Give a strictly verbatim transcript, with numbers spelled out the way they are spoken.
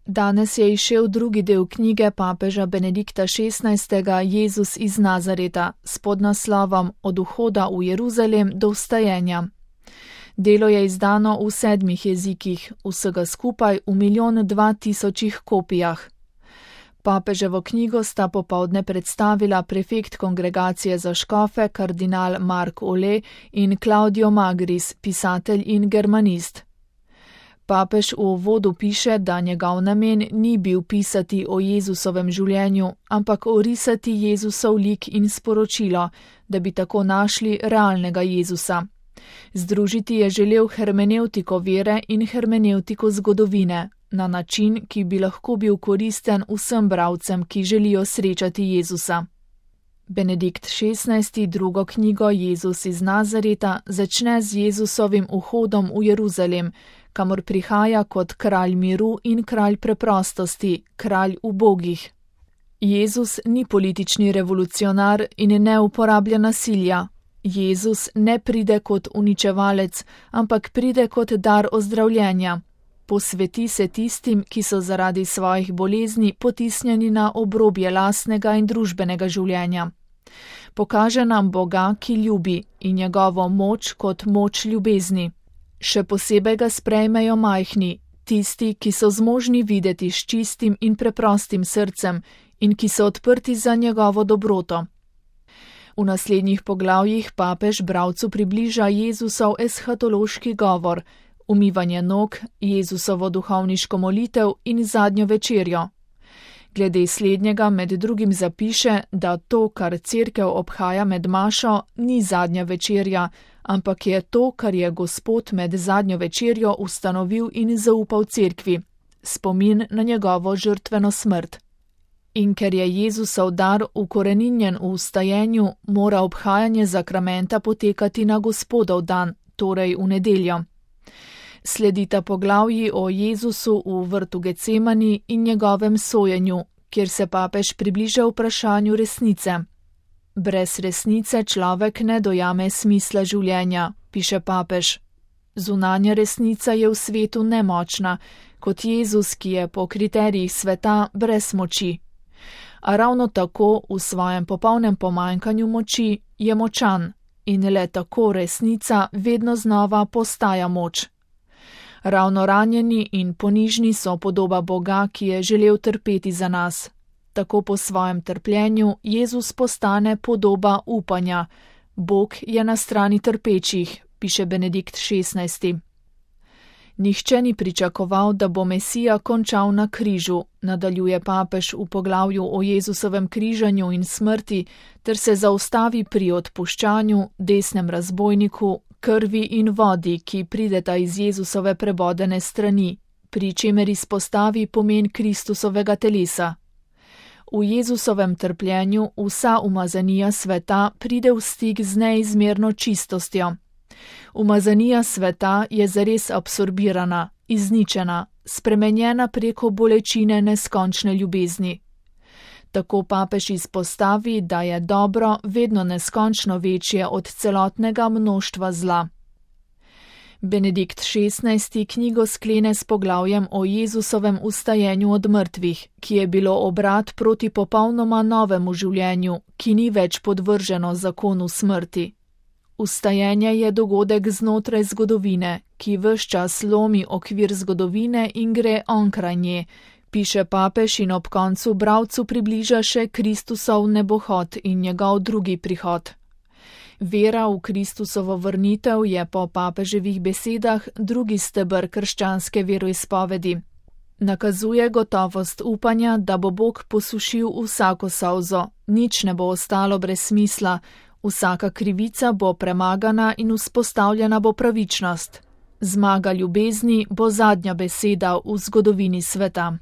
Danes je izšel drugi del knjige papeža Benedikta šestnajstega Jezus iz Nazareta s podnaslovom Od vhoda v Jeruzalem do vstajenja. Delo je izdano v sedmih jezikih, vsega skupaj v milijon dva tisočih kopijah. Papeževo knjigo sta popoldne predstavila prefekt kongregacije za škofe kardinal Mark Ole in Claudio Magris, pisatelj in germanist. Papež v uvodu piše, da njegov namen ni bil pisati o Jezusovem življenju, ampak orisati Jezusov lik in sporočilo, da bi tako našli realnega Jezusa. Združiti je želel hermenevtiko vere in hermenevtiko zgodovine, na način, ki bi lahko bil koristen vsem bralcem, ki želijo srečati Jezusa. Benedikt šestnajsti drugo knjigo Jezus iz Nazareta začne z Jezusovim vhodom v Jeruzalem, kamor prihaja kot kralj miru in kralj preprostosti, kralj ubogih. Jezus ni politični revolucionar in ne uporablja nasilja. Jezus ne pride kot uničevalec, ampak pride kot dar ozdravljenja. Posveti se tistim, ki so zaradi svojih bolezni potisnjeni na obrobje lastnega in družbenega življenja. Pokaže nam Boga, ki ljubi, in njegovo moč kot moč ljubezni. Še posebej ga sprejmejo majhni, tisti, ki so zmožni videti s čistim in preprostim srcem in ki so odprti za njegovo dobroto. V naslednjih poglavjih papež bralcu približa Jezusov eshatološki govor, umivanje nog, Jezusovo duhovniško molitev in zadnjo večerjo. Glede slednjega med drugim zapiše, da to, kar cerkev obhaja med mašo, ni zadnja večerja, ampak je to, kar je Gospod med zadnjo večerjo ustanovil in zaupal cerkvi, spomin na njegovo žrtveno smrt. In ker je Jezusov dar ukoreninjen v vstajenju, mora obhajanje zakramenta potekati na Gospodov dan, torej v nedeljo. Sledita poglavji o Jezusu v vrtu Getsemani in njegovem sojenju, kjer se papež približa vprašanju resnice. Brez resnice človek ne dojame smisla življenja, piše papež. Zunanja resnica je v svetu nemočna, kot Jezus, ki je po kriterijih sveta brez moči. A ravno tako v svojem popolnem pomanjkanju moči je močan in le tako resnica vedno znova postaja moč. Ravno ranjeni in ponižni so podoba Boga, ki je želel trpeti za nas. Tako po svojem trpljenju Jezus postane podoba upanja. Bog je na strani trpečih, piše Benedikt šestnajsti. Nihče ni pričakoval, da bo Mesija končal na križu, nadaljuje papež v poglavju o Jezusovem križanju in smrti, ter se zaustavi pri odpuščanju, desnem razbojniku, krvi in vodi, ki prideta iz Jezusove prebodene strani, pri čemer izpostavi pomen Kristusovega telesa. V Jezusovem trpljenju vsa umazanija sveta pride v stik z neizmerno čistostjo. Umazanija sveta je zares absorbirana, izničena, spremenjena preko bolečine neskončne ljubezni. Tako papež izpostavi, da je dobro vedno neskončno večje od celotnega mnoštva zla. Benedikt šestnajsti knjigo sklene s poglavjem o Jezusovem vstajenju od mrtvih, ki je bilo obrat proti popolnoma novemu življenju, ki ni več podvrženo zakonu smrti. Vstajenje je dogodek znotraj zgodovine, ki ves čas lomi okvir zgodovine in gre onkraj nje, piše papež in ob koncu bralcu približa še Kristusov nebohod in njegov drugi prihod. Vera v Kristusovo vrnitev je po papeževih besedah drugi steber krščanske veroizpovedi. Nakazuje gotovost upanja, da bo Bog posušil vsako solzo, nič ne bo ostalo brez smisla, vsaka krivica bo premagana in vzpostavljena bo pravičnost. Zmaga ljubezni bo zadnja beseda v zgodovini sveta.